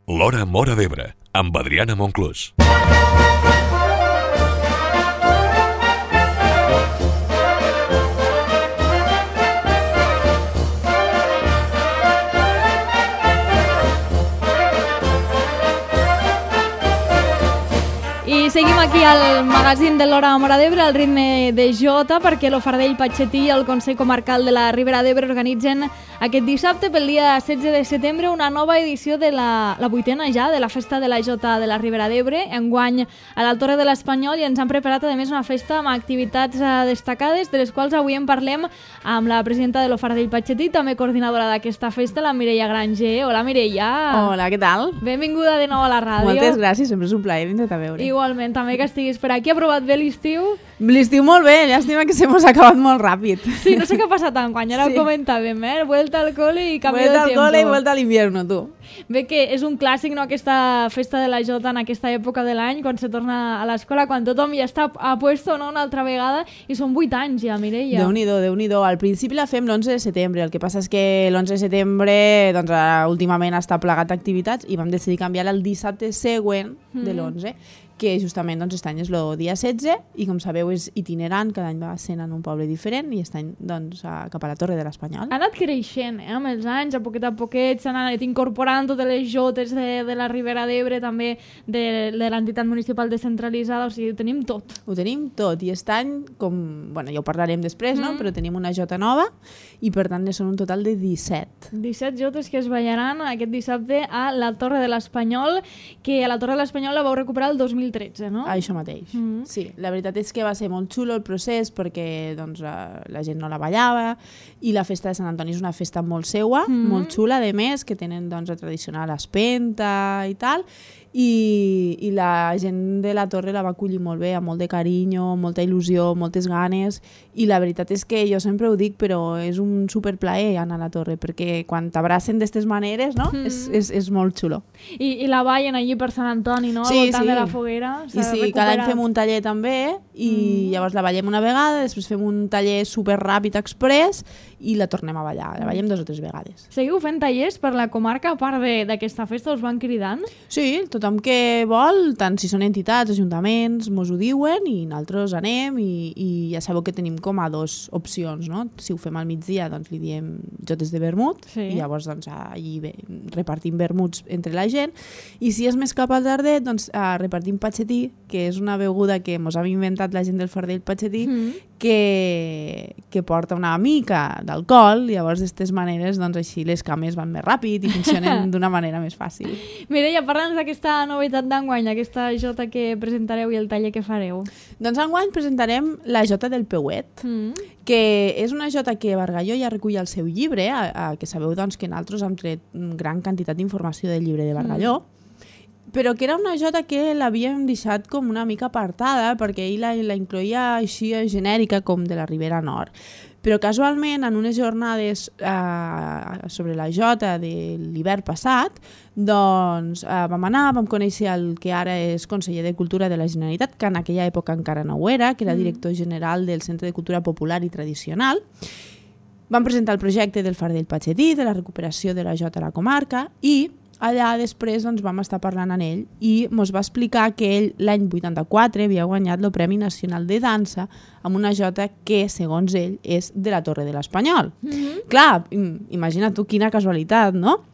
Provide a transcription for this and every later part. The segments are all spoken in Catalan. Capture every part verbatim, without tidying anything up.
L'Hora Móra d'Ebre, amb Adriana Monclús. I seguim aquí al magazín de l'Hora Móra d'Ebre, al ritme de Jota, perquè l'Ofardell, Patxetí i el Consell Comarcal de la Ribera d'Ebre organitzen aquest dissabte, pel dia setze de setembre, una nova edició de la, la vuitena ja, de la Festa de la Jota de la Ribera d'Ebre, enguany a la Torre de l'Espanyol, i ens han preparat a més una festa amb activitats destacades, de les quals avui en parlem amb la presidenta de l'Ofardell, Patxetí, també coordinadora d'aquesta festa, la Mireia Granger. Hola, Mireia. Hola, què tal? Benvinguda de nou a la ràdio. Moltes gràcies, sempre és un plaer vindre a veure. Igualment, també que estiguis per aquí. Ha provat bé l'estiu? L'estiu molt bé, llàstima que se mos ha acabat molt ràpid. Sí, no sé què ha passat enguany, ara sí. Ho comentàvem, eh? Vuelta al cole i canvi vuelta de tiempo. Vuelta al cole i vuelta a l'invierno, tu. Bé que és un clàssic, no?, aquesta festa de la Jota en aquesta època de l'any, quan se torna a l'escola, quan tothom ja està a puesto, no?, una altra vegada, i són vuit anys ja, Mireia. Déu-n'hi-do, Déu-n'hi-do. Al principi la fem l'onze de setembre, el que passa és que l'onze de setembre, doncs, últimament està plegat d'activitats i vam decidir canviar el dissabte següent de l'onze, que justament doncs, aquest any és el dia setze i com sabeu és itinerant, cada any va sent en un poble diferent i aquest any doncs, a, cap a la Torre de l'Espanyol. Ha anat creixent eh, amb els anys, a poquet a poquet s'han anat incorporant totes les jotes de, de la Ribera d'Ebre, també de, de l'entitat municipal descentralitzada, o sigui, ho tenim tot. Ho tenim tot i aquest any, com, bueno, ja ho parlarem després, mm. no? Però tenim una jota nova i per tant ne són un total de disset. disset jotes que es ballaran aquest dissabte a la Torre de l'Espanyol, que a la Torre de l'Espanyol la vau recuperar el dos mil tretze, no? Això mateix. Mm-hmm. Sí, la veritat és que va ser molt xulo el procés perquè doncs, la, la gent no la ballava i la festa de Sant Antoni és una festa molt seua, mm-hmm. molt xula, de més, que tenen doncs, la tradicional espenta i tal, i, i la gent de la Torre la va acollir molt bé, amb molt de carinyo, molta il·lusió, moltes ganes, i la veritat és que jo sempre ho dic, però és un superplaer anar a la Torre, perquè quan t'abracen d'aquestes maneres, no? Mm. És, és, és molt xulo. I, I la ballen allí per Sant Antoni, no? Sí, al voltant sí. de la foguera. I sí, recuperat. Cada any fem un taller també, i mm. llavors la ballem una vegada, després fem un taller super ràpid express i la tornem a ballar, la ballem dos o tres vegades. Seguiu fent tallers per la comarca, a part d'aquesta festa, us van cridant? Sí, tothom que vol, tant si són entitats, ajuntaments, mos ho diuen i nosaltres anem i, i ja sabeu que tenim com a dos opcions, no? Si ho fem al migdia, doncs li diem jotes de vermut, sí. I llavors doncs, allí bé, repartim vermuts entre la gent, i si és més cap al tardet, doncs eh, repartim patxetí, que és una beguda que mos ha inventat la gent del Fardell Patxetí, mm. que, que porta una mica d'alcohol, i llavors d'aquestes maneres doncs, així les cames van més ràpid i funcionen d'una manera més fàcil. Mireia, parla'ns d'aquesta novetat d'enguany, aquesta jota que presentareu i el taller que fareu. Doncs enguany presentarem la jota del Peuet, mm. que és una jota que Bargalló ja recull al seu llibre, a, a, que sabeu doncs, que nosaltres hem tret gran quantitat d'informació del llibre de Bargalló, mm. però que era una jota que l'havíem deixat com una mica apartada, perquè ell la, la incloïa així genèrica com de la Ribera Nord. Però casualment, en unes jornades eh, sobre la jota de l'hivern passat, doncs eh, vam anar, vam conèixer el que ara és conseller de Cultura de la Generalitat, que en aquella època encara no ho era, que era director general del Centre de Cultura Popular i Tradicional. Vam presentar el projecte del Fardell Patxetí, de la recuperació de la jota a la comarca, i allà després doncs, vam estar parlant amb ell i ens va explicar que ell l'any vuitanta-quatre havia guanyat el Premi Nacional de Dansa amb una jota que, segons ell, és de la Torre de l'Espanyol. Mm-hmm. Clar, imagina't tu quina casualitat, no?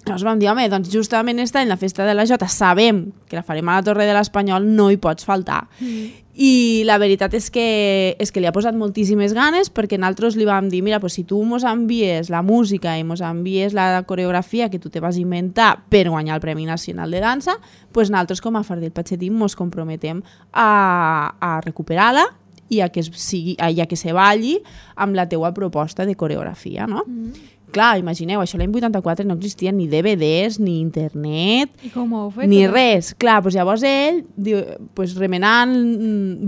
Llavors vam dir, home, doncs justament aquest any la festa de la jota sabem que la farem a la Torre de l'Espanyol, no hi pots faltar. Mm. I la veritat és que, és que li ha posat moltíssimes ganes, perquè nosaltres li vam dir, mira, pues, si tu mos envies la música i mos envies la coreografia que tu te vas inventar per guanyar el Premi Nacional de Dansa, pues nosaltres com a Fardell Patxetí mos comprometem a, a recuperar-la i a que, sigui, a, a que se balli amb la teua proposta de coreografia, no? Mm. Clar, imagineu, això l'any vuitanta-quatre no existia ni D V Ds, ni internet, fet, ni res. Clar, doncs llavors ell, diu, pues, remenant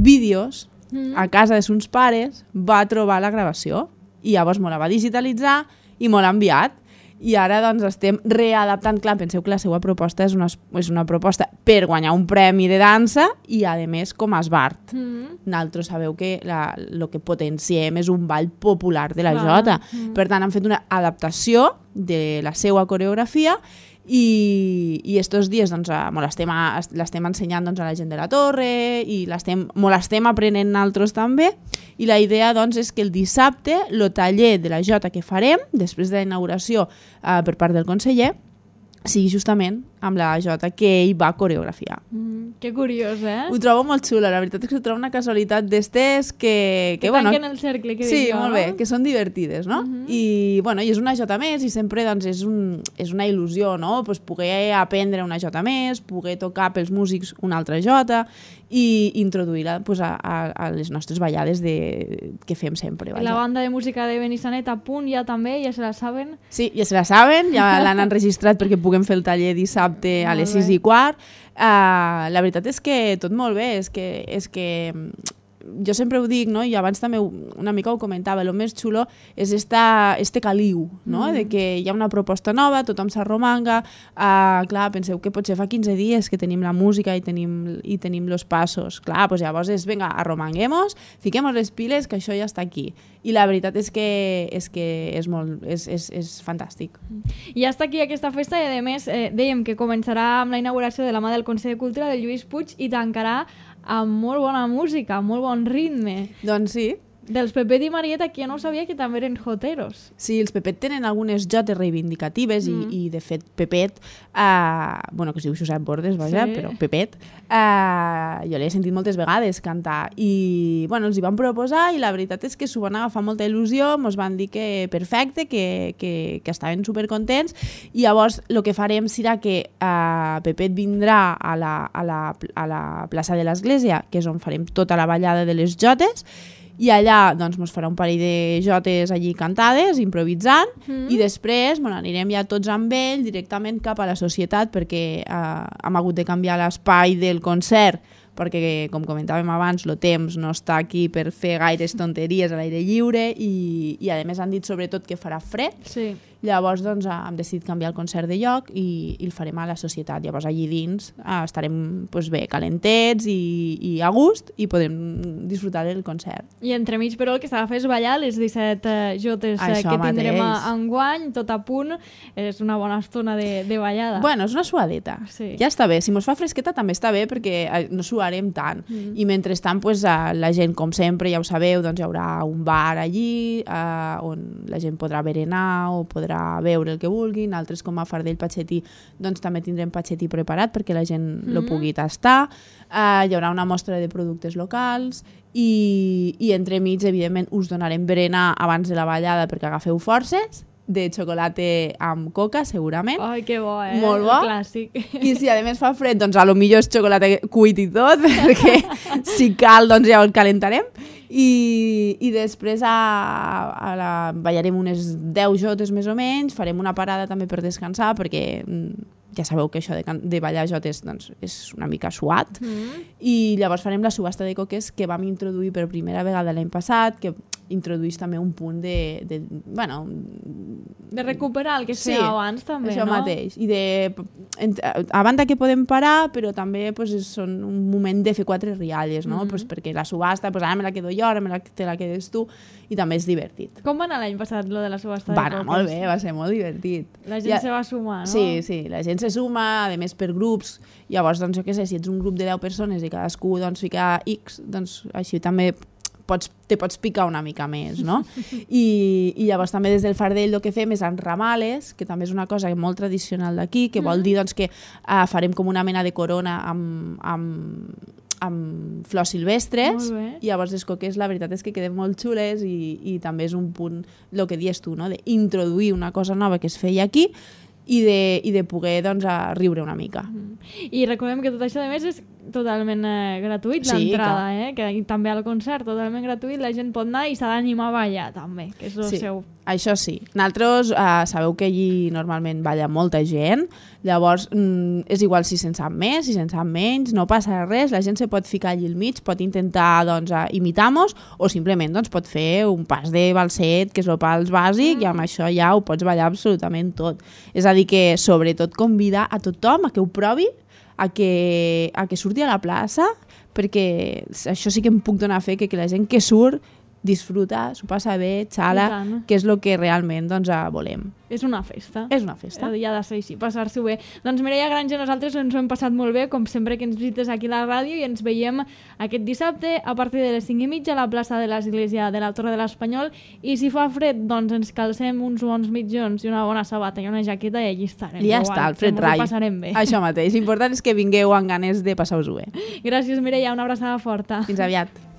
vídeos mm. a casa de sus pares, va trobar la gravació i llavors me la va digitalitzar i me l'ha enviat. I ara doncs estem readaptant, clar, penseu que la seva proposta és una, és una proposta per guanyar un premi de dansa i a més com a esbart. Mm. Nosaltres sabeu que el que potenciem és un ball popular de la clar. Jota. Mm. Per tant, han fet una adaptació de la seva coreografia i, i estos dies doncs, l'estem l'estem ensenyant doncs, a la gent de la torre i l'estem l'estem aprenent nosaltres també, i la idea doncs, és que el dissabte el taller de la jota que farem després de la inauguració eh, per part del conseller sigui justament amb la jota que ell va coreografiar. Mm, que curiós, eh? Ho trobo molt xulo, la veritat és que ho trobo una casualitat d'estes que... Que, que bueno, tanquen el cercle, que sí, dic jo, molt no? bé, que són divertides, no? Uh-huh. I, bueno, i és una jota més i sempre doncs, és, un, és una il·lusió, no? Pues, poder aprendre una jota més, poder tocar pels músics una altra jota i introduir-la pues, a, a, a les nostres ballades de, que fem sempre. Vaja. La banda de música de Benissanet a punt ja també, ja se la saben? Sí, ja se la saben, ja l'han enregistrat perquè puguem fer el taller dissabte a les sis i quart. Uh, la veritat és que tot molt bé, és que, és que jo sempre ho dic, no? I abans també una mica ho comentava, el més xulo és esta, este caliu, no? Mm. De que hi ha una proposta nova, tothom s'arromanga, uh, clar, penseu que potser fa quinze dies que tenim la música i tenim, i tenim los passos, clar, doncs llavors és, vinga, arromanguemos, fiquemos les piles, que això ja està aquí. I la veritat és que és, que és, molt, és, és, és fantàstic. I ja està aquí aquesta festa i, a més, eh, dèiem que començarà amb la inauguració de la mà del Consell de Cultura del Lluís Puig i tancarà amb molt bona música, amb molt bon ritme. Doncs sí. Dels Pepet i Marieta, que jo no sabia que també eren joteros. Sí, els Pepet tenen algunes jotes reivindicatives mm. i, i, de fet, Pepet, uh, bueno, que es diu Josep Bordes, vaja, sí. Però Pepet, uh, jo l'he sentit moltes vegades cantar i, bueno, els hi van proposar i la veritat és que s'ho van agafar molta il·lusió, ens van dir que perfecte, que, que, que estaven supercontents i llavors el que farem serà que uh, Pepet vindrà a la, a, la, a la plaça de l'Església, que és on farem tota la ballada de les jotes, i allà doncs, mos farà un parell de jotes allí cantades, improvisant, mm. i després bueno, anirem ja tots amb ell directament cap a la societat perquè eh, hem hagut de canviar l'espai del concert perquè, com comentàvem abans, el temps no està aquí per fer gaires tonteries a l'aire lliure i, i a més han dit sobretot que farà fred. Sí. Llavors doncs, hem decidit canviar el concert de lloc i, i el farem a la societat. Llavors allí dins eh, estarem pues, bé, calentets i, i a gust i podem disfrutar del concert. I entremig, però, el que s'ha de fer és ballar les disset eh, jotes eh, que tindrem a, enguany, tot a punt. És una bona estona de, de ballada. Bueno, és una suadeta. Sí. Ja està bé. Si mos fa fresqueta també està bé perquè no suarem tant. Mm. I mentrestant, pues, la gent, com sempre, ja ho sabeu, doncs hi haurà un bar allí eh, on la gent podrà berenar o podrà veure el que vulguin, altres com a Fardell Patxetí doncs també tindrem patxetí preparat perquè la gent mm-hmm. lo pugui tastar, uh, hi haurà una mostra de productes locals i, i entremig evidentment us donarem berenar abans de la ballada perquè agafeu forces, de xocolata amb coca segurament. Ai, que bo, eh? Molt bo. Clàssic. I si a més fa fred, doncs a lo millor és xocolata cuit i tot, perquè si cal doncs ja el calentarem. I, i després a, a la, ballarem unes deu jotes més o menys, farem una parada també per descansar perquè ja sabeu que això de, de ballar jotes doncs, és una mica suat mm. i llavors farem la subhasta de coques que vam introduir per primera vegada l'any passat, que introduís també un punt de, de bueno, de recuperar el que es feia sí, abans també, això no? Mateix. I de, a banda que podem parar, però també pues, són un moment de fer quatre rialles, no? Mm-hmm. Pues, perquè la subhasta, pues, ara me la quedo jo, ara me la, te la quedes tu, i també és divertit. Com va anar l'any passat, lo de la subhasta va de coques? Va molt bé, va ser molt divertit. La gent ja, se va sumar, no? Sí, sí, la gent se suma, a més per grups, llavors, doncs, jo què sé, si ets un grup de deu persones i cadascú doncs, fica X, doncs així també pots, te pots picar una mica més, no? I, i llavors també des del Fardell el que fem és enramales, que també és una cosa molt tradicional d'aquí, que vol dir doncs, que uh, farem com una mena de corona amb, amb, amb flors silvestres, i llavors les coques la veritat és que queden molt xules i, i també és un punt, el que dius tu, no? D'introduir una cosa nova que es feia aquí i de, i de poder doncs, a riure una mica. Mm. I recordem que tot això a més és totalment eh, gratuït, sí, l'entrada, eh? Que també al concert totalment gratuït, la gent pot anar i s'ha d'animar a ballar també, que és el sí, seu... Això sí. Nosaltres eh, sabeu que allí normalment balla molta gent, llavors mm, és igual si se'n sap més, si se'n sap menys, no passa res, la gent se pot ficar allí al mig, pot intentar doncs, imitar-nos o simplement doncs, pot fer un pas de balset, que és el pas bàsic, mm. i amb això ja ho pots ballar absolutament tot. És a dir que sobretot convidar a tothom a que ho provi, a que, a que surti a la plaça, perquè això sí que em puc donar fe que, que la gent que surt disfruta, s'ho passa bé, xala, que és el que realment doncs, volem. És una festa. És una festa. I ha de ser així, passar-s'ho bé. Doncs Mireia Granja, nosaltres ens ho hem passat molt bé, com sempre que ens visites aquí a la ràdio, i ens veiem aquest dissabte a partir de les cinc i mitja a la plaça de l'Església de la Torre de l'Espanyol, i si fa fred, doncs ens calcem uns bons mitjons i una bona sabata i una jaqueta i allí estarem. I ja està, el fred rai. Això mateix. L'important és que vingueu amb ganes de passar-vos-ho bé. Gràcies, Mireia. Una abraçada forta. Fins aviat.